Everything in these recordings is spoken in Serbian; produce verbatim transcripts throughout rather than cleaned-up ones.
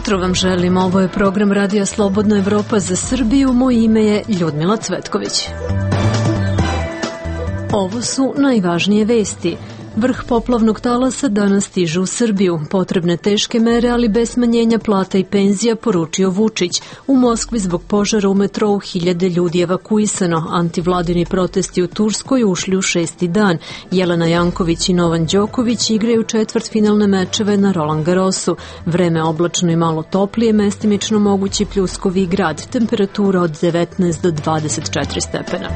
jutro vam želim. Ovo je program Radija Slobodna Evropa za Srbiju. Moje ime je Ljudmila Cvetković. Ovo su najvažnije vesti. Vrh poplavnog talasa danas stiže u Srbiju. Potrebne teške mere, ali bez smanjenja plata i penzija, poručio Vučić. U Moskvi zbog požara u metrou hiljade ljudi evakuisano. Antivladini protesti u Turskoj ušli u šesti dan. Jelena Janković i Novan Đoković igraju četvrtfinalne mečeve na Roland Garrosu. Vreme oblačno i malo toplije, mestimično mogući pljuskovi grad. Temperatura od devetnaest do dvadeset četiri stepena.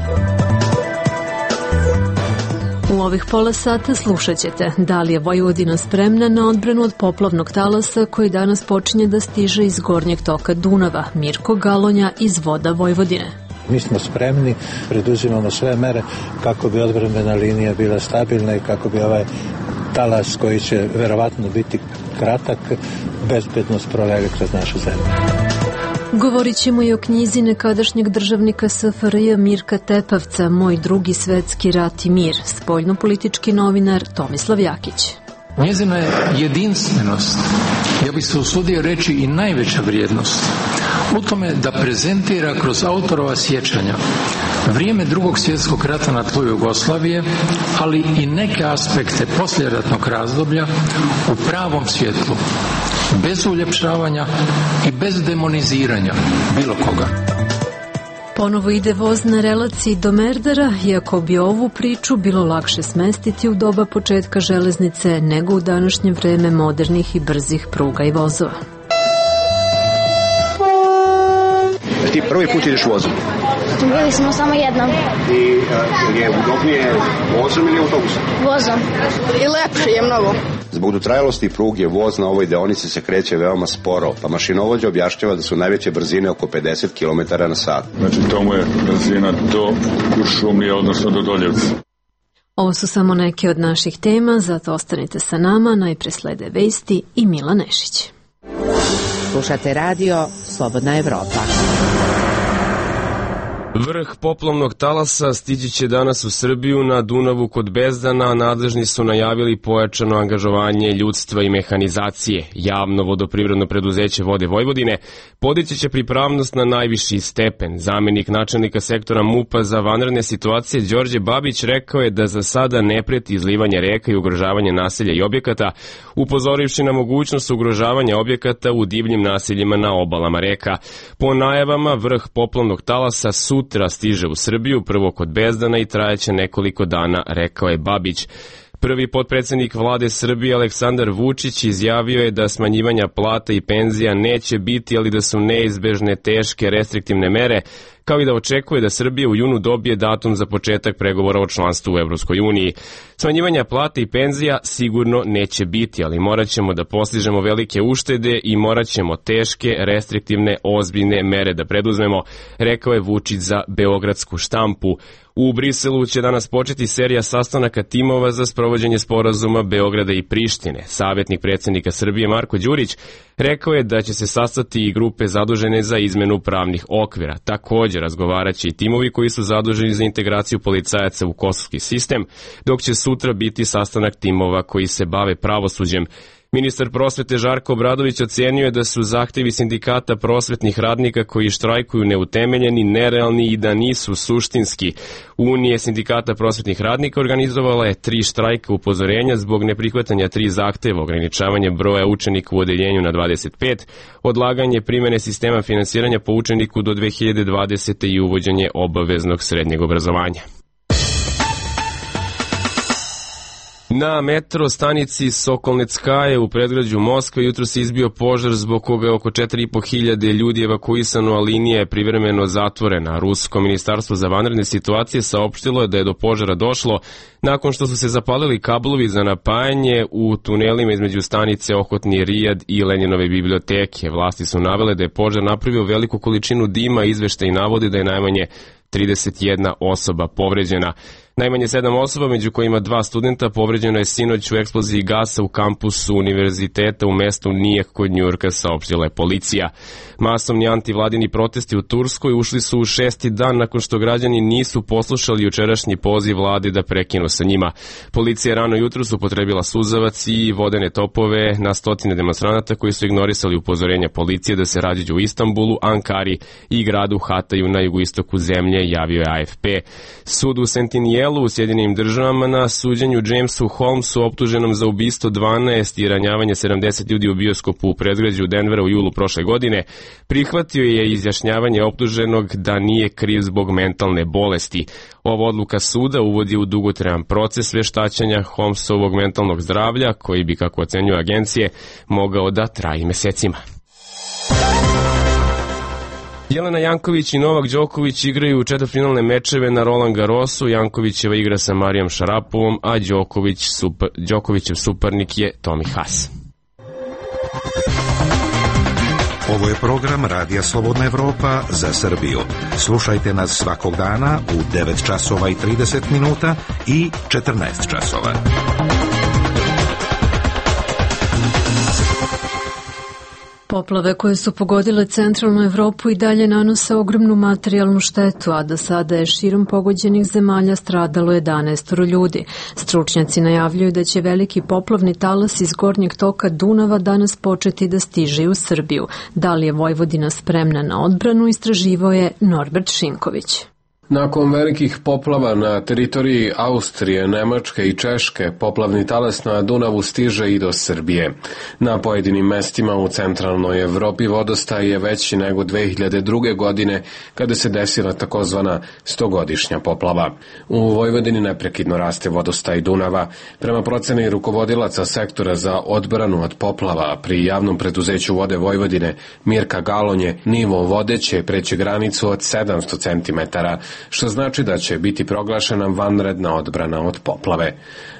U ovih pola sata slušat ćete da li je Vojvodina spremna na odbranu od poplavnog talasa koji danas počinje da stiže iz gornjeg toka Dunava. Mirko Galonja iz Voda Vojvodine. Mi smo spremni, preduzimamo sve mere kako bi odbrambena linija bila stabilna i kako bi ovaj talas koji će verovatno biti kratak bezbedno prolege kroz našu zemlju. Govorit ćemo i o knjizi nekadašnjeg državnika S F R J Mirka Tepavca Moj drugi svetski rat i mir, spoljnopolitički novinar Tomislav Jakić. Njezina je jedinstvenost, ja bih se usudio reći i najveća vrijednost, u tome da prezentira kroz autorova sjećanja vrijeme drugog svjetskog rata na tlu Jugoslavije, ali i neke aspekte poslijeratnog razdoblja u pravom svjetlu, bez uljepšavanja i bez demoniziranja bilo koga. Ponovo ide voz na relaciji do Merdara, iako bi ovu priču bilo lakše smestiti u doba početka železnice nego u današnje vreme modernih i brzih pruga i vozova. Ti prvi put ideš vozom? Bili smo samo jednom. I uh, je udobnije vozom ili autobusom? Vozom. I lepše je mnogo. Zbog dotrajalosti pruge voz na ovoj deonici se kreće veoma sporo, pa mašinovođa objašnjava da su najveće brzine oko pedeset kilometara na sat. Znači tomu je brzina do Kuršumlije, odnosno do Doljevca. Ovo su samo neke od naših tema, zato ostanite sa nama, najpre slede vesti i Mila Nešić. Slušate radio Slobodna Evropa. Vrh poplavnog talasa stići će danas u Srbiju na Dunavu kod Bezdana. Nadležni su najavili pojačano angažovanje ljudstva i mehanizacije. Javno vodoprivredno preduzeće Vode Vojvodine podići će pripravnost na najviši stepen. Zamenik načelnika sektora MUP-a za vanredne situacije Đorđe Babić rekao je da za sada ne preti izlivanje reka i ugrožavanje naselja i objekata, upozorivši na mogućnost ugrožavanja objekata u divljim naseljima na obalama reka. Po najavama, vrh poplavnog talasa sutra stiže u Srbiju, prvo kod Bezdana i trajeće nekoliko dana, rekao je Babić. Prvi potpredsjednik vlade Srbije Aleksandar Vučić izjavio je da smanjivanja plata i penzija neće biti, ali da su neizbežne teške restriktivne mere, kao i da očekuje da Srbija u junu dobije datum za početak pregovora o članstvu u Evropskoj uniji. Smanjivanja plata i penzija sigurno neće biti, ali morat ćemo da postižemo velike uštede i morat ćemo teške, restriktivne, ozbiljne mere da preduzmemo, rekao je Vučić za beogradsku štampu. U Briselu će danas početi serija sastanaka timova za sprovođenje sporazuma Beograda i Prištine. Savjetnik predsjednika Srbije Marko Đurić rekao je da će se sastati i grupe zadužene za izmenu pravnih okvira. Također razgovaraće i timovi koji su zaduženi za integraciju policajaca u kosovski sistem, dok će sutra biti sastanak timova koji se bave pravosuđem. Ministar prosvete Žarko Obradović ocenio je da su zahtevi sindikata prosvetnih radnika koji štrajkuju neutemeljeni, nerealni i da nisu suštinski. Unije sindikata prosvetnih radnika organizovala je tri štrajka upozorenja zbog neprihvatanja tri zahteva: ograničavanje broja učenika u odeljenju na dvadeset pet, odlaganje primene sistema finansiranja po učeniku do dve hiljade dvadesete i uvođenje obaveznog srednjeg obrazovanja. Na metro stanici Sokolneckaje u predgrađu Moskve jutro se izbio požar zbog koga je oko četiri i po hiljade ljudi evakuisano, a linija je privremeno zatvorena. Rusko ministarstvo za vanredne situacije saopštilo je da je do požara došlo nakon što su se zapalili kablovi za napajanje u tunelima između stanice Ohotni Rijad i Lenjinove biblioteke. Vlasti su navele da je požar napravio veliku količinu dima, izveštaji navodi da je najmanje trideset jedna osoba povređena. Najmanje sedam osoba, među kojima dva studenta, povređeno je sinoć u eksploziji gasa u kampusu univerziteta u mestu Nijek kod Njujorka, saopštila je policija. Masovni antivladini protesti u Turskoj ušli su u šesti dan nakon što građani nisu poslušali jučerašnji poziv vlade da prekinu sa njima. Policija rano jutro su upotrebila suzavac i vodene topove na stotine demonstranata koji su ignorisali upozorenja policije da se rađaju u Istanbulu, Ankari i gradu Hataju na jugoistoku zemlje, javio je A F P. Sud u Sentinijelu u Sjedinjenim državama na suđenju Jamesu Holmesu, optuženom za ubistvo dvanaest i ranjavanje sedamdeset ljudi u bioskopu u predgrađu Denvera u julu prošle godine, prihvatio je izjašnjavanje optuženog da nije kriv zbog mentalne bolesti. Ova odluka suda uvodi u dugotrajan proces veštačenja Holmesovog mentalnog zdravlja, koji bi, kako ocenjuju agencije, mogao da traje mesecima. Jelena Janković i Novak Đoković igraju četvrtfinalne mečeve na Roland Garrosu. Jankovićeva igra sa Marijom Šarapovom, a Đoković super, Đokovićev suparnik je Tomi Haas. Ovo je program Radija Slobodna Evropa za Srbiju. Slušajte nas svakog dana u devet časova i trideset minuta i četrnaest časova. Poplave koje su pogodile centralnu Evropu i dalje nanose ogromnu materijalnu štetu, a do sada je širom pogođenih zemalja stradalo jedanaest ljudi. Stručnjaci najavljuju da će veliki poplavni talas iz gornjeg toka Dunava danas početi da stiže u Srbiju. Da li je Vojvodina spremna na odbranu, istraživao je Norbert Šinković. Nakon velikih poplava na teritoriji Austrije, Nemačke i Češke, poplavni talas na Dunavu stiže i do Srbije. Na pojedinim mestima u centralnoj Evropi vodostaj je veći nego dve hiljade druge. godine kada se desila takozvana stogodišnja poplava. U Vojvodini neprekidno raste vodostaj Dunava. Prema proceni rukovodilaca sektora za odbranu od poplava pri javnom preduzeću Vode Vojvodine Mirka Galonje, nivo vode će preći granicu od sedamsto centimetara, što znači da će biti proglašena vanredna odbrana od poplave.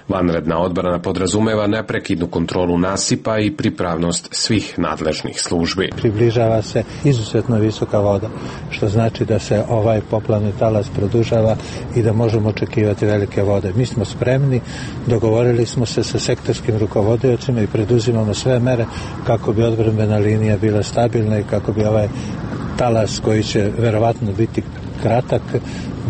Vanredna odbrana podrazumeva neprekidnu kontrolu nasipa i pripravnost svih nadležnih službi. Približava se izuzetno visoka voda, što znači da se ovaj poplavni talas produžava i da možemo očekivati velike vode. Mi smo spremni, dogovorili smo se sa sektorskim rukovodiocima i preduzimamo sve mere kako bi odbrambena linija bila stabilna i kako bi ovaj talas, koji će verovatno biti kratak,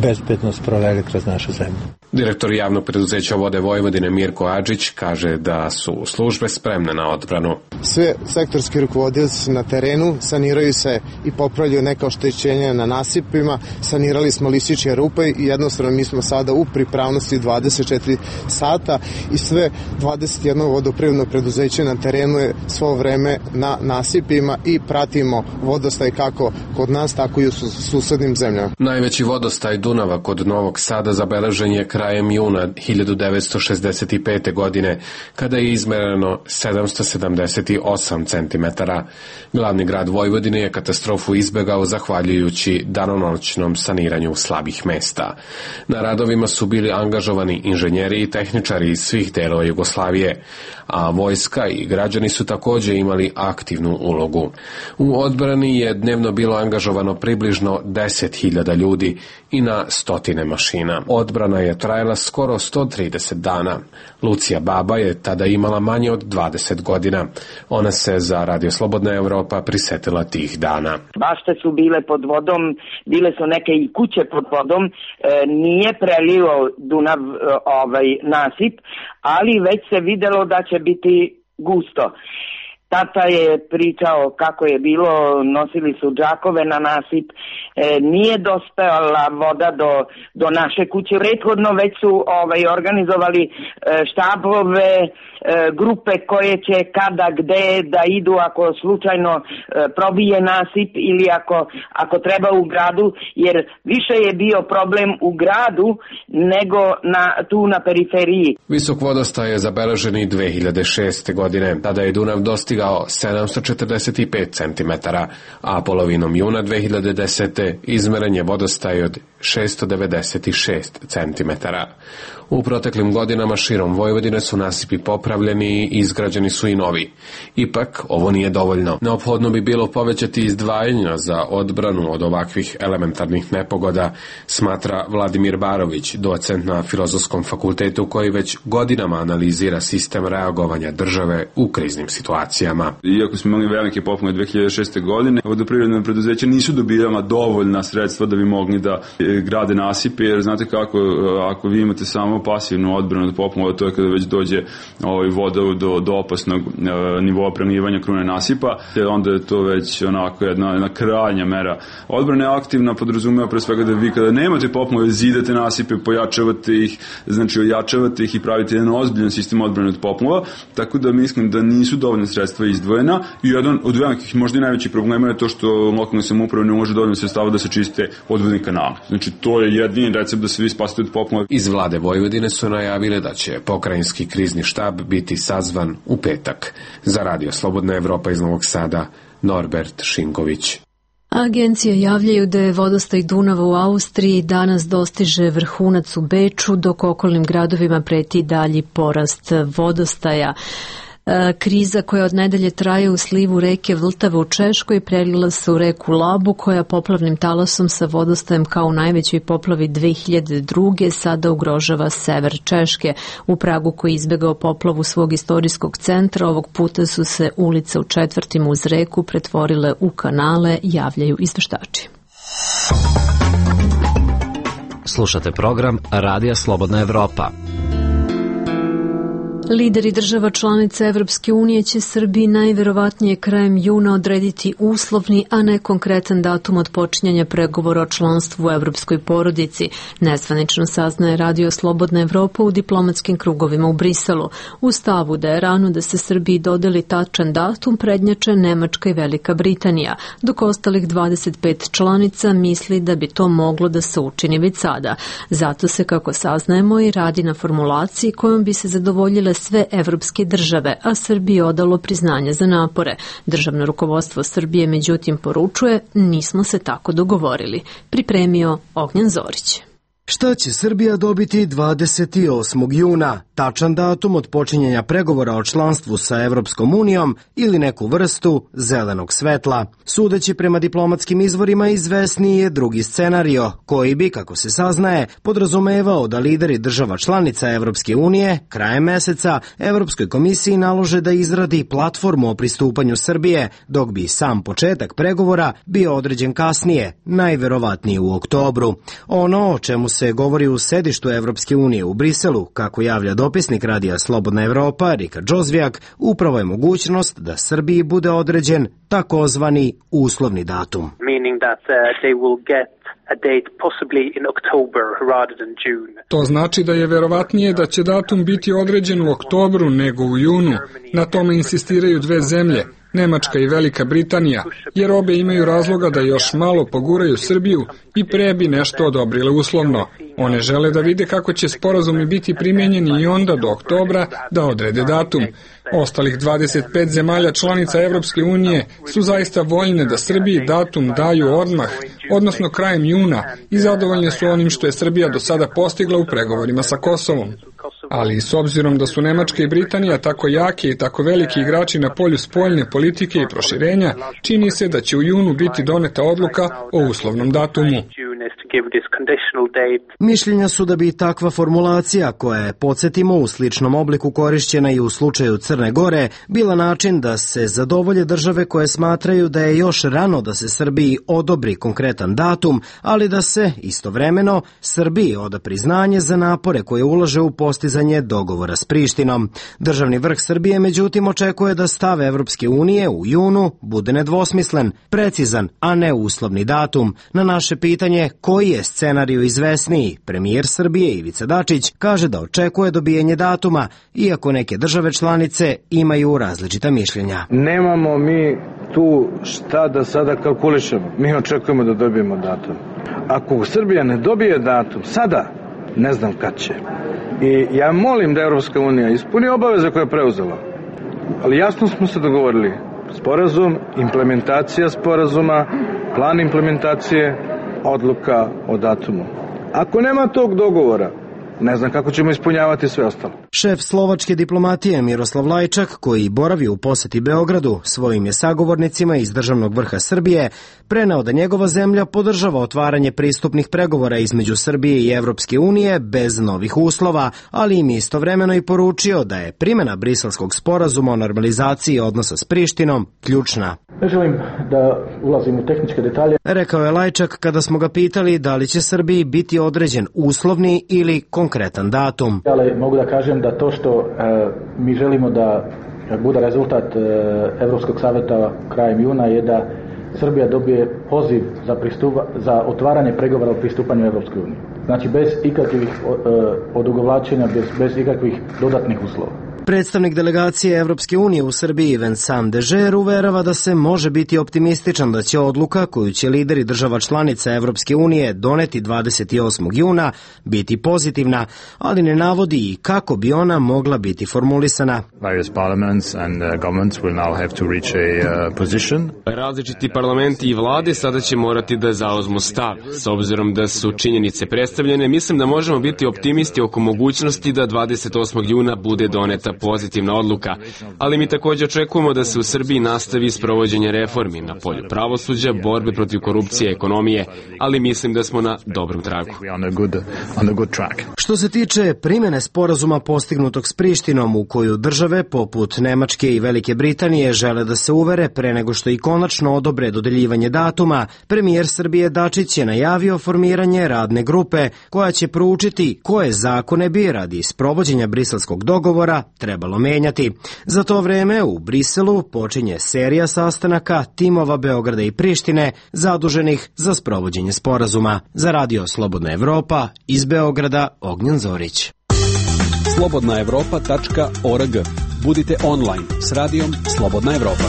bezbedno sproveli kroz našu zemlju. Direktor javnog preduzeća Vode Vojvodine Mirko Adžić kaže da su službe spremne na odbranu. Sve sektorski rukovodioci na terenu, saniraju se i popravljaju neka oštećenja na nasipima, sanirali smo listiće rupe i jednostavno mi smo sada u pripravnosti dvadeset četiri sata i sve dvadeset jedno vodoprivredno preduzeće na terenu je svo vreme na nasipima i pratimo vodostaj kako kod nas, tako i u susednim zemljama. Najveći vodostaj Dunava kod Novog Sada zabeležen je krajem juna hiljadu devetsto šezdeset pete. godine, kada je izmereno sedamsto sedamdeset osam centimetara. Glavni grad Vojvodine je katastrofu izbegao zahvaljujući danonoćnom saniranju slabih mesta. Na radovima su bili angažovani inženjeri i tehničari iz svih delova Jugoslavije, a vojska i građani su takođe imali aktivnu ulogu. U odbrani je dnevno bilo angažovano približno deset hiljada ljudi i na stotine mašina. Odbrana je trajala skoro sto trideset dana. Lucija Baba je tada imala manje od dvadeset godina. Ona se za Radio Slobodna Evropa prisetila tih dana. Bašte su bile pod vodom, bile su neke i kuće pod vodom, e, nije prelio Dunav e, ovaj nasip, ali već se videlo da će biti gusto. Tata je pričao kako je bilo, nosili su džakove na nasip, e, nije dostala voda do, do naše kuće. Prethodno već su ovaj, organizovali e, štabove, e, grupe koje će kada, gde da idu ako slučajno e, probije nasip ili ako, ako treba u gradu, jer više je bio problem u gradu nego na, tu na periferiji. Visok vodostaj je zabeležen i dve hiljade šeste. godine. Tada je Dunav dostigao dostigao sedamsto četrdeset pet centimetara, a polovinom juna dve hiljade desete. izmeren je vodostaj od šesto devedeset šest centimetara. U proteklim godinama širom Vojvodine su nasipi popravljeni i izgrađeni su i novi. Ipak, ovo nije dovoljno. Neophodno bi bilo povećati izdvajanja za odbranu od ovakvih elementarnih nepogoda, smatra Vladimir Barović, docent na Filozofskom fakultetu koji već godinama analizira sistem reagovanja države u kriznim situacijama. Iako smo imali velike poplave dve hiljade šeste. godine, vodoprivredna preduzeća nisu dobijala dovoljna sredstva da bi mogli da grade nasipe, jer znate kako, ako vi imate samo pasivnu odbranu od poplava, to je kada već dođe ovaj, voda do, do opasnog e, nivoa prelivanja krune nasipa, onda je to već onako jedna, jedna krajnja mera. Odbrana je aktivna, podrazumeva pre svega da vi kada nemate poplave zidate nasipe, pojačavate ih, znači ojačavate ih i pravite jedan ozbiljan sistem odbrane od poplava, tako da mislim da nisu dovoljne sredstva izdvojena i jedan od velikih, možda i najvećih problema je to što lokalne samouprave ne može dovoljno sredstava da se čiste odvodni kanali. Znači to je jedini recept da se vi spasite od poplava. Iz vlade Vojvodine su najavile da će pokrajinski krizni štab biti sazvan u petak. Za Radio Slobodna Evropa iz Novog Sada, Norbert Šinković. Agencije javljaju da je vodostaj Dunava u Austriji danas dostiže vrhunac u Beču, dok okolnim gradovima preti dalji porast vodostaja. Kriza koja od nedelje traje u slivu reke Vltave u Češkoj prelila se u reku Labu, koja poplavnim talasom sa vodostajem kao u najvećoj poplavi dve hiljade druge. sada ugrožava sever Češke. U Pragu, koji je izbegao poplavu svog istorijskog centra, ovog puta su se ulice u četvrtima uz reku pretvorile u kanale, javljaju izveštači. Slušate program Radija Slobodna Evropa. Lideri država članica Evropske unije će Srbiji najverovatnije krajem juna odrediti uslovni, a ne konkretan datum od počinjanja pregovora o članstvu u evropskoj porodici. Nezvanično saznaje Radio Slobodna Evropa u diplomatskim krugovima u Briselu. U stavu da je rano da se Srbiji dodeli tačan datum prednjače Nemačka i Velika Britanija, dok ostalih dvadeset pet članica misli da bi to moglo da se učini već sada. Zato se, kako saznajemo, i radi na formulaciji kojom bi se zadovoljile sve evropske države, a Srbiji odalo priznanje za napore. Državno rukovodstvo Srbije međutim poručuje, nismo se tako dogovorili. Pripremio Ognjen Zorić. Šta će Srbija dobiti dvadeset osmog juna? Tačan datum od počinjenja pregovora o članstvu sa Evropskom unijom ili neku vrstu zelenog svetla. Sudeći prema diplomatskim izvorima, izvesniji je drugi scenario, koji bi, kako se saznaje, podrazumevao da lideri država članica Evropske unije krajem meseca Evropskoj komisiji nalože da izradi platformu o pristupanju Srbije, dok bi sam početak pregovora bio određen kasnije, najverovatnije u oktobru. Ono o čemu se govori u sedištu Evropske unije u Briselu, kako javlja dopisnik Radija Slobodna Evropa Rika Džozvijak, upravo je mogućnost da Srbiji bude određen takozvani uslovni datum. To znači da je verovatnije da će datum biti određen u oktobru nego u junu. Na tome insistiraju dve zemlje, Nemačka i Velika Britanija, jer obe imaju razloga da još malo poguraju Srbiju i pre bi nešto odobrile uslovno. One žele da vide kako će sporazumi biti primjenjeni i onda do oktobra da odrede datum. Ostalih dvadeset pet zemalja članica Evropske unije su zaista voljne da Srbiji datum daju odmah, odnosno krajem juna, i zadovoljne su onim što je Srbija do sada postigla u pregovorima sa Kosovom. Ali s obzirom da su Nemačka i Britanija tako jake i tako veliki igrači na polju spoljne politike i proširenja, čini se da će u junu biti doneta odluka o uslovnom datumu. Mišljenja su da bi takva formulacija, koja je, podsjetimo, u sličnom obliku korišćena i u slučaju Crne Gore, bila način da se zadovolje države koje smatraju da je još rano da se Srbiji odobri konkretan datum, ali da se istovremeno Srbiji oda priznanje za napore koje ulaže u postizanje dogovora s Prištinom. Državni vrh Srbije međutim očekuje da stav Evropske unije u junu bude nedvosmislen, precizan, a ne uslovni datum. Na naše pitanje koji je scenariju izvesniji, premijer Srbije Ivica Dačić kaže da očekuje dobijenje datuma, iako neke države članice imaju različita mišljenja. Nemamo mi tu šta da sada kalkulišemo. Mi očekujemo da dobijemo datum. Ako Srbija ne dobije datum sada, ne znam kad će. I ja molim da Evropska unija ispuni obaveze koje je preuzela. Ali jasno smo se dogovorili. Sporazum, implementacija sporazuma, plan implementacije, odluka o datumu. Ako nema tog dogovora, ne znam kako ćemo ispunjavati sve ostalo. Šef slovačke diplomatije Miroslav Lajčak, koji boravi u poseti Beogradu, svojim je sagovornicima iz državnog vrha Srbije preneo da njegova zemlja podržava otvaranje pristupnih pregovora između Srbije i Evropske unije bez novih uslova, ali im istovremeno i poručio da je primjena Briselskog sporazuma o normalizaciji odnosa s Prištinom ključna. Ne želim da ulazim u tehničke detalje. Rekao je Lajčak kada smo ga pitali da li će Srbiji biti određen uslovni ili konkretan datum. Ali mogu da kažem da to što e, mi želimo da bude rezultat e, Evropskog saveta krajem juna je da Srbija dobije poziv za, pristupa, za otvaranje pregovora o pristupanju Evropskoj uniji. Znači bez ikakvih e, odugovlačenja, bez, bez ikakvih dodatnih uslova. Predstavnik delegacije Evropske unije u Srbiji Vincent Dežer uverava da se može biti optimističan da će odluka koju će lideri država članica Evropske unije doneti dvadeset osmog juna biti pozitivna, ali ne navodi i kako bi ona mogla biti formulisana. Različiti parlamenti i vlade sada će morati da zauzmu stav. S obzirom da su činjenice predstavljene, mislim da možemo biti optimisti oko mogućnosti da dvadeset osmog juna bude doneta pozitivna odluka, ali mi također očekujemo da se u Srbiji nastavi sprovođenje reformi na polju pravosuđa, borbe protiv korupcije i ekonomije, ali mislim da smo na dobrom tragu. Što se tiče primjene sporazuma postignutog s Prištinom, u koju države poput Nemačke i Velike Britanije žele da se uvere pre nego što i konačno odobre dodeljivanje datuma, premijer Srbije Dačić je najavio formiranje radne grupe koja će proučiti koje zakone bi radi sprovođenja briselskog dogovora trebalo menjati. Za to vreme u Briselu počinje serija sastanaka timova Beograda i Prištine zaduženih za sprovođenje sporazuma. Za Radio Slobodna Evropa iz Beograda Ognjen Zorić. slobodna evropa tačka org. Budite online s radijom Slobodna Evropa.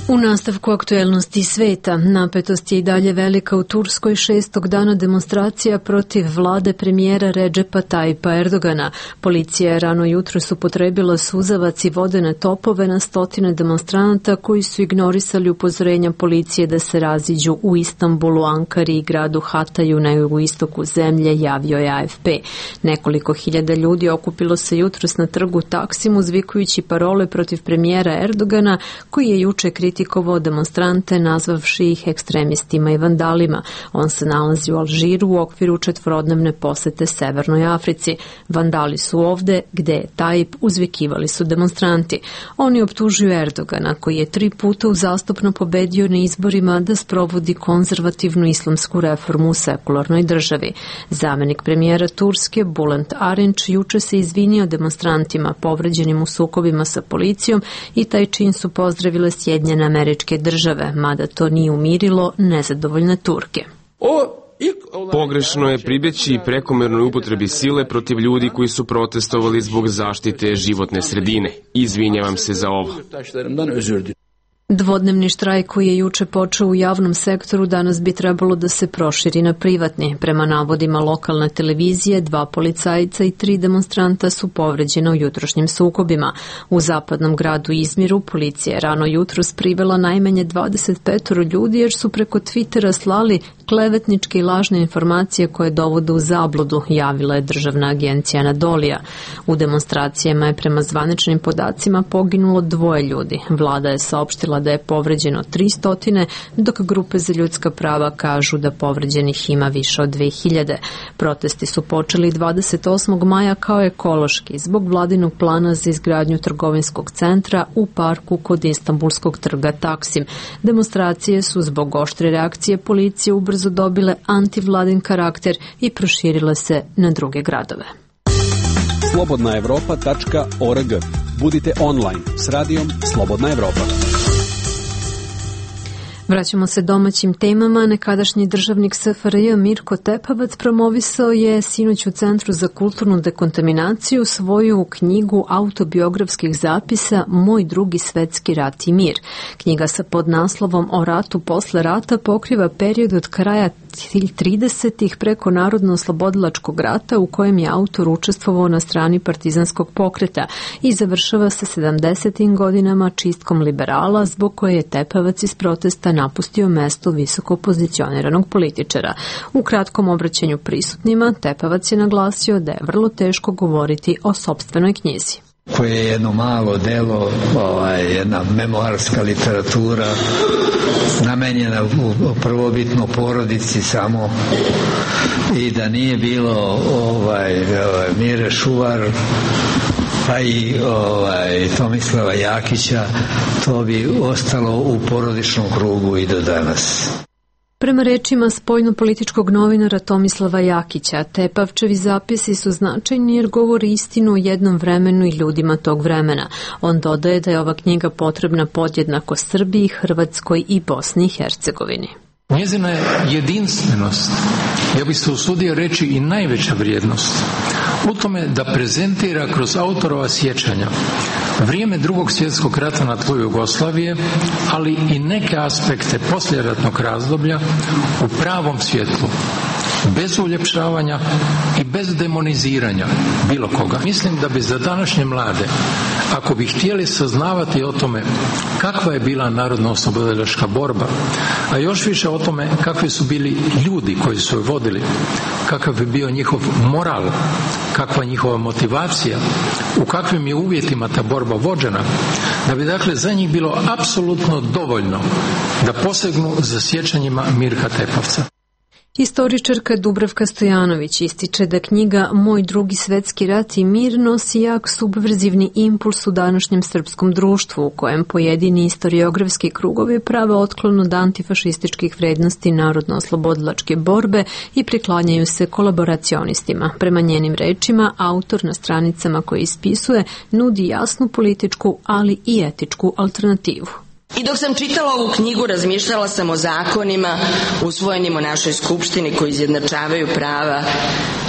U nastavku aktuelnosti sveta, napetost je i dalje velika u Turskoj šestog dana demonstracija protiv vlade premijera Redžepa Tajipa Erdogana. Policija je rano jutros upotrebila suzavac i vodene topove na stotine demonstranata koji su ignorisali upozorenja policije da se raziđu u Istanbulu, Ankari i gradu Hataju na jugoistoku zemlje, javio je A F P. Nekoliko hiljada ljudi okupilo se jutros na trgu Taksim uzvikujući parole protiv premijera Erdogana, koji je juče kritikovao kritikovao demonstrante nazvavši ih ekstremistima i vandalima. On se nalazi u Alžiru u okviru četvorodnevne posete Severnoj Africi. Vandali su ovde gde je Tajip, uzvikivali su demonstranti. Oni optužuju Erdogana, koji je tri puta uzastopno pobedio na izborima, da sprovodi konzervativnu islamsku reformu u sekularnoj državi. Zamenik premijera Turske Bülent Arınç juče se izvinio demonstrantima povređenim u sukobima sa policijom i taj čin su pozdravile Sjedinjene Američke Države, mada to nije umirilo nezadovoljne Turke. Pogrešno je pribjeći prekomernoj upotrebi sile protiv ljudi koji su protestovali zbog zaštite životne sredine. Izvinjavam se za ovo. Dvodnevni štrajk koji je juče počeo u javnom sektoru danas bi trebalo da se proširi na privatni. Prema navodima lokalne televizije, dva policajca i tri demonstranta su povređena u jutrošnjim sukobima. U zapadnom gradu Izmiru policija je rano jutros privela najmanje dvadeset pet ljudi jer su preko Twittera slali klevetničke i lažne informacije koje dovode u zabludu, javila je državna agencija Anadolija. U demonstracijama je prema zvaničnim podacima poginulo dvoje ljudi. Vlada je saopštila da je povređeno tristo, dok grupe za ljudska prava kažu da povređenih ima više od dve hiljade. Protesti su počeli dvadeset osmog maja kao ekološki zbog vladinog plana za izgradnju trgovinskog centra u parku kod Istanbulskog trga Taksim. Demonstracije su zbog oštre reakcije policije ubrzo dobile antivladin karakter i proširile se na druge gradove. slobodna evropa tačka org. Budite online s radijom Slobodna Evropa. Vraćamo se domaćim temama. Nekadašnji državnik S F R J Mirko Tepavac promovisao je sinoć u Centru za kulturnu dekontaminaciju svoju knjigu autobiografskih zapisa Moj drugi svetski rat i mir. Knjiga sa podnaslovom O ratu posle rata pokriva period od kraja tridesetih preko Narodno-oslobodilačkog rata u kojem je autor učestvovao na strani partizanskog pokreta i završava se sedamdesetim godinama čistkom liberala zbog koje je Tepavac iz protesta napustio mesto visoko pozicioniranog političara. U kratkom obraćanju prisutnima Tepavac je naglasio da je vrlo teško govoriti o sopstvenoj knjizi. Koje je jedno malo delo, ovaj, jedna memoarska literatura namenjena u prvobitno porodici samo, i da nije bilo ovaj, ovaj Mire Šuvar pa i ovaj, Tomislava Jakića, to bi ostalo u porodičnom krugu i do danas. Prema rečima spoljno-političkog novinara Tomislava Jakića, Tepavčevi zapisi su značajni jer govori istinu o jednom vremenu i ljudima tog vremena. On dodaje da je ova knjiga potrebna podjednako Srbiji, Hrvatskoj i Bosni i Hercegovini. Njezina je jedinstvenost, ja bih se usudio reći i najveća vrijednost, u tome da prezentira kroz autorova sjećanja vrijeme drugog svjetskog rata na tlu Jugoslavije, ali i neke aspekte poslijeratnog razdoblja u pravom svjetlu, bez uljepšavanja i bez demoniziranja bilo koga. Mislim da bi za današnje mlade, ako bi htjeli saznavati o tome kakva je bila narodno-oslobodilačka borba, a još više o tome kakvi su bili ljudi koji su je vodili, kakav bi bio njihov moral, kakva njihova motivacija, u kakvim je uvjetima ta borba vođena, da bi dakle za njih bilo apsolutno dovoljno da posegnu za sjećanjima Mirka Tepavca. Historičarka Dubravka Stojanović ističe da knjiga Moj drugi svetski rat i mir nosi jak subverzivni impuls u današnjem srpskom društvu u kojem pojedini historiografski krugovi prave otklon od antifašističkih vrednosti narodno-oslobodilačke borbe i priklanjaju se kolaboracionistima. Prema njenim rečima, autor na stranicama koje ispisuje nudi jasnu političku, ali i etičku alternativu. I dok sam čitala ovu knjigu, razmišljala sam o zakonima usvojenim u našoj skupštini koji izjednačavaju prava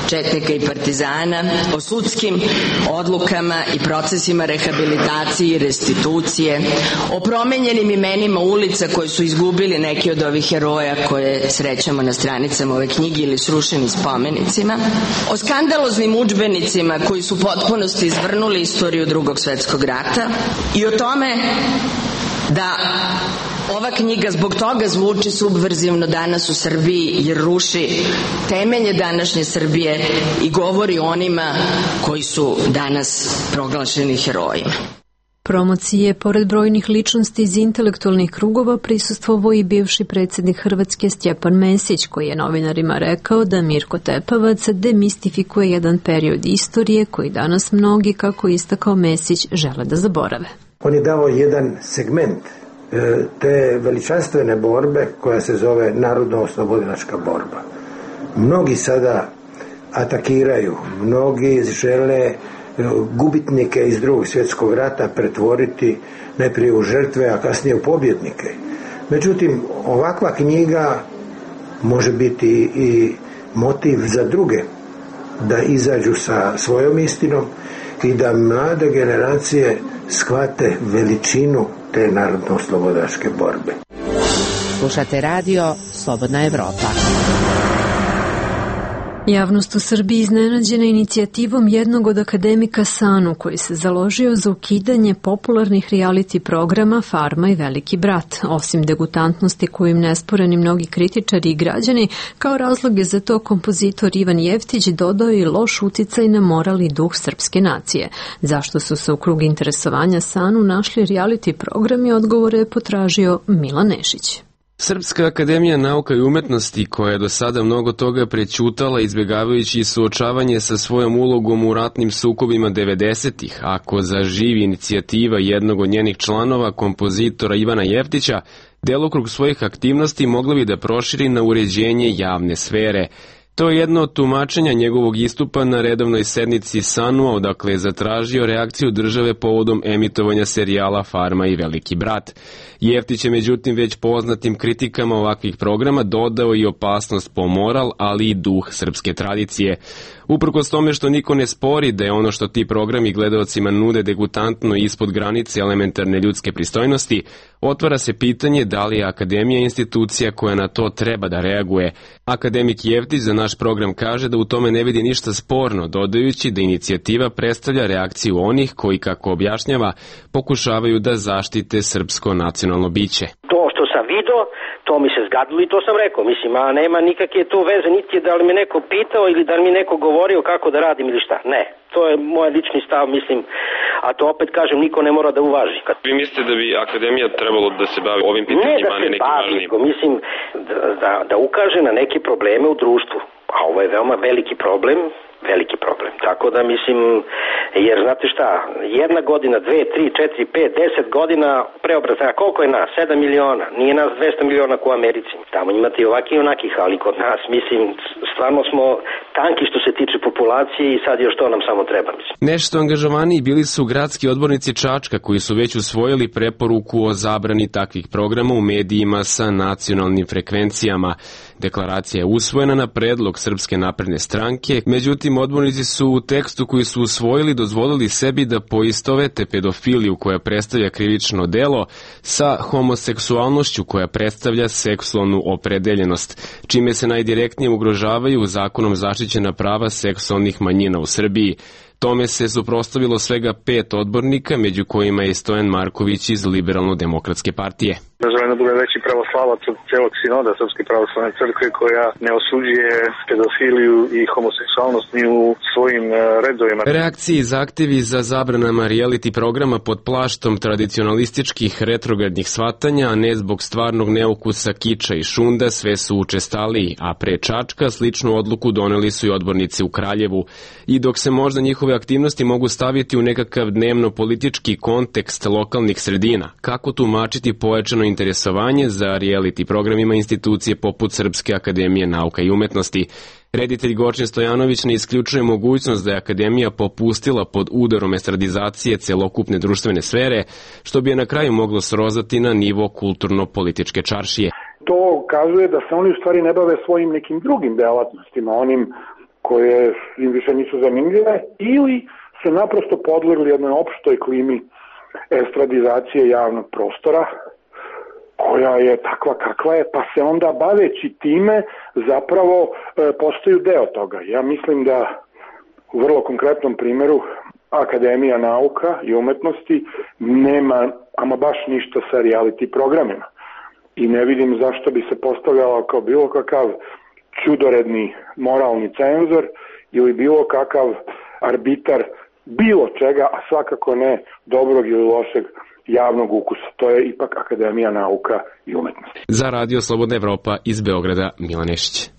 četnika i partizana, o sudskim odlukama i procesima rehabilitacije i restitucije, o promenjenim imenima ulica koje su izgubili neki od ovih heroja koje srećemo na stranicama ove knjige ili srušenim spomenicima, o skandaloznim udžbenicima koji su u potpunosti izvrnuli istoriju drugog svetskog rata i o tome da ova knjiga zbog toga zvuči subverzivno danas u Srbiji jer ruši temelje današnje Srbije i govori o onima koji su danas proglašeni herojima. Promocije, pored brojnih ličnosti iz intelektualnih krugova, prisustvovao i bivši predsjednik Hrvatske Stjepan Mesić, koji je novinarima rekao da Mirko Tepavac demistifikuje jedan period istorije koji danas mnogi, kako istakao Mesić, žele da zaborave. On je dao jedan segment te veličanstvene borbe koja se zove narodno-oslobodilačka borba. Mnogi sada atakiraju, mnogi žele gubitnike iz drugog svjetskog rata pretvoriti najprije u žrtve, a kasnije u pobjednike. Međutim, ovakva knjiga može biti i motiv za druge da izađu sa svojom istinom i da mlade generacije shvate veličinu te narodno-oslobodilačke borbe. Slušate radio Slobodna Evropa. Javnost u Srbiji iznenađena inicijativom jednog od akademika Sanu koji se založio za ukidanje popularnih reality programa Farma i Veliki brat. Osim degutantnosti koju im nesporeni mnogi kritičari i građani, kao razloge za to kompozitor Ivan Jeftić dodao i loš uticaj na moral i duh srpske nacije. Zašto su se u krug interesovanja Sanu našli reality programi, odgovore je potražio Milan Nešić. Srpska akademija nauka i umetnosti, koja je do sada mnogo toga prećutala izbjegavajući suočavanje sa svojom ulogom u ratnim sukobima devedesetih, ako zaživi inicijativa jednog od njenih članova, kompozitora Ivana Jeftića, delokrug svojih aktivnosti mogla bi da proširi na uređenje javne sfere. To je jedno od tumačenja njegovog istupa na redovnoj sednici Sanua, odakle je zatražio reakciju države povodom emitovanja serijala Farma i Veliki brat. Jeftić je međutim već poznatim kritikama ovakvih programa dodao i opasnost po moral, ali i duh srpske tradicije. Uprkos tome što niko ne spori da je ono što ti programi gledaocima nude degutantno ispod granice elementarne ljudske pristojnosti, otvara se pitanje da li je Akademija institucija koja na to treba da reaguje. Akademik Jevtić za naš program kaže da u tome ne vidi ništa sporno, dodajući da inicijativa predstavlja reakciju onih koji, kako objašnjava, pokušavaju da zaštite srpsko nacionalno biće. To što sam video, to mi se zgadilo i to sam rekao. Mislim, a nema nikakve to veze, niti da li me neko pitao ili da li mi neko govorio kako da radim ili šta. Ne, to je moj lični stav, mislim, a to opet kažem, niko ne mora da uvaži. Vi mislite da bi Akademija trebalo da se bavi ovim pitanjima, ne da se bavi, mislim, da, da, da ukaže na neke probleme u društvu. A ovo je veoma veliki problem, veliki problem. Tako da mislim, jer znate šta, jedna godina, dve, tri, četiri, pet, deset godina preobrazaja, koliko je nas? Sedam miliona. Nije nas dvesta miliona kao u Americi. Tamo imate i ovakih i onakih, ali kod nas, mislim, stvarno smo tanki što se tiče populacije i sad još to nam samo treba, mislim. Nešto angažovaniji bili su gradski odbornici Čačka, koji su već usvojili preporuku o zabrani takvih programa u medijima sa nacionalnim frekvencijama. Deklaracija je usvojena na predlog Srpske napredne stranke, međutim odbornici su u tekstu koji su usvojili dozvolili sebi da poistovete pedofiliju koja predstavlja krivično delo sa homoseksualnošću koja predstavlja seksualnu opredeljenost, čime se najdirektnije ugrožavaju zakonom zaštićena prava seksualnih manjina u Srbiji. Tome se suprotstavilo svega pet odbornika, među kojima je Stojan Marković iz Liberalno-demokratske partije. Želim da bude veći pravoslavac od celog sinoda Srpske pravoslavne crkve koja ne osuđuje pedofiliju i homoseksualnost ni u svojim redovima. Reakcije i zahtevi za zabranama reality programa pod plaštom tradicionalističkih retrogradnih shvatanja, a ne zbog stvarnog neukusa, kiča i šunda, sve su učestaliji, a pre Čačka sličnu odluku doneli su i odbornici u Kraljevu. I dok se možda njihove aktivnosti mogu staviti u nekakav dnevno-politički kontekst lokalnih sredina, kako tumačiti pojačano interesovanje za reality programima institucije poput Srpske akademije nauka i umetnosti? Reditelj Gorčin Stojanović ne isključuje mogućnost da je Akademija popustila pod udarom estradizacije celokupne društvene sfere, što bi je na kraju moglo srozati na nivo kulturno-političke čaršije. To ukazuje da se oni u stvari ne bave svojim nekim drugim delatnostima, onim koje im više nisu zanimljive, ili su naprosto podlegli jednoj opštoj klimi estradizacije javnog prostora, koja je takva kakva je, pa se onda baveći time zapravo e, postaju deo toga. Ja mislim da u vrlo konkretnom primjeru Akademija nauka i umetnosti nema ama baš ništa sa reality programima. I ne vidim zašto bi se postavljala kao bilo kakav čudoredni moralni cenzor ili bilo kakav arbitar bilo čega, a svakako ne dobrog ili lošeg javnog ukusa. To je ipak Akademija nauka i umetnosti. Za Radio Slobodna Evropa iz Beograda, Milan Nešić.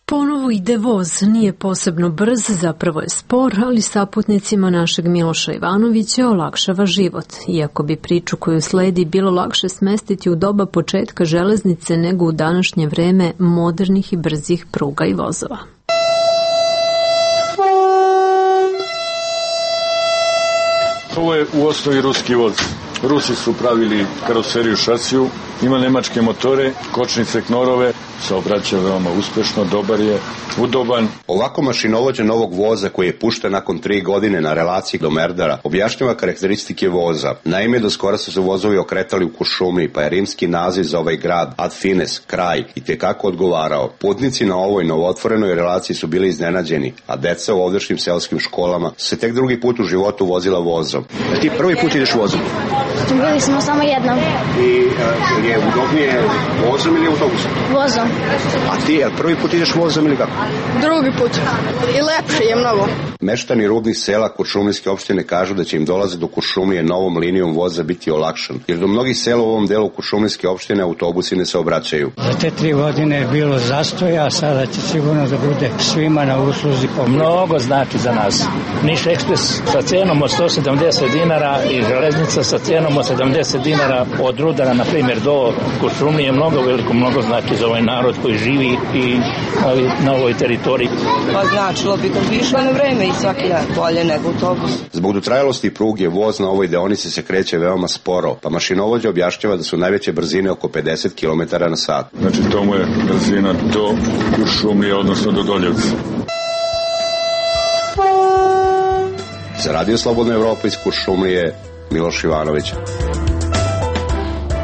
Ponovo ide voz, nije posebno brz, zapravo je spor, ali saputnicima našeg Miloša Ivanovića olakšava život. Iako bi priču koju sledi bilo lakše smestiti u doba početka železnice nego u današnje vreme modernih i brzih pruga i vozova. Ovo je u osnovi ruski voz. Rusi su pravili karoseriju šasiju, ima nemačke motore, kočnice, knorove, saobraća veoma uspešno, dobar je, udoban. Ovako mašinovođa novog voza koji je pušten nakon tri godine na relaciji do Merdara objašnjava karakteristike voza. Naime, do skora su se vozovi okretali u Kuršumliji, pa je rimski naziv za ovaj grad Ad Fines, kraj, i tekako odgovarao. Putnici na ovoj novootvorenoj relaciji su bili iznenađeni, a deca u ovdašnjim selskim školama se tek drugi put u životu vozila vozom. A ti prvi put ideš vozom? Bili smo samo jednom. I uh, je udobnije vozom ili autobusom? Vozom. A ti a prvi put ideš vozom ili kako? Drugi put. I lepše je mnogo. Meštani rubnih sela Kuršumlijske opštine kažu da će im dolaze do Kuršumlije novom linijom voza biti olakšan, jer do mnogih sela u ovom delu Kuršumlijske opštine autobusi ne se obraćaju. Za te tri godine je bilo zastoja, a sada će sigurno da bude svima na usluzi. Mnogo znači za nas. Niš Ekspres sa cenom od sto sedamdeset dinara i železnica sa cenom cenom od sedamdeset dinara od Rudara, na primjer, do Kuršumlije, mnogo veliko, mnogo znači za ovaj narod koji živi i ali, na ovoj teritoriji. Pa značilo bi kad bi išla na vreme i svaki dan bolje nego autobus. Zbog dotrajalosti pruge voz na ovoj deonici se kreće veoma sporo, pa mašinovođa objašnjava da su najveće brzine oko pedeset kilometara na sat. Znači to mu je brzina do Kuršumlije, odnosno do Doljevca. Za Radio Slobodna Evropa iz Kuršumlije, Miloš Ivanović.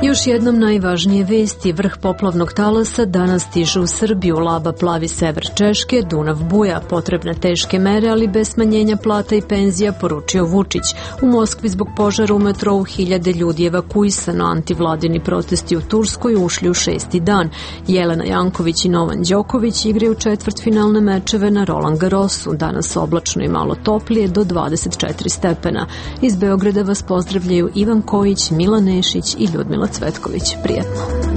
Još jednom najvažnije vesti. Vrh poplavnog talasa danas stiže u Srbiju. Laba plavi sever Češke, Dunav buja. Potrebne teške mere, ali bez smanjenja plata i penzija, poručio Vučić. U Moskvi zbog požara u metrou hiljade ljudi evakuisano. Antivladini protesti u Turskoj ušli u šesti dan. Jelena Janković i Novan Đoković igraju četvrtfinalne mečeve na Roland Garrosu. Danas oblačno i malo toplije do dvadeset četiri stepena. Iz Beograda vas pozdravljaju Ivan Kojić, Milan Nešić i Ljudmila Cvetković. Prijetno.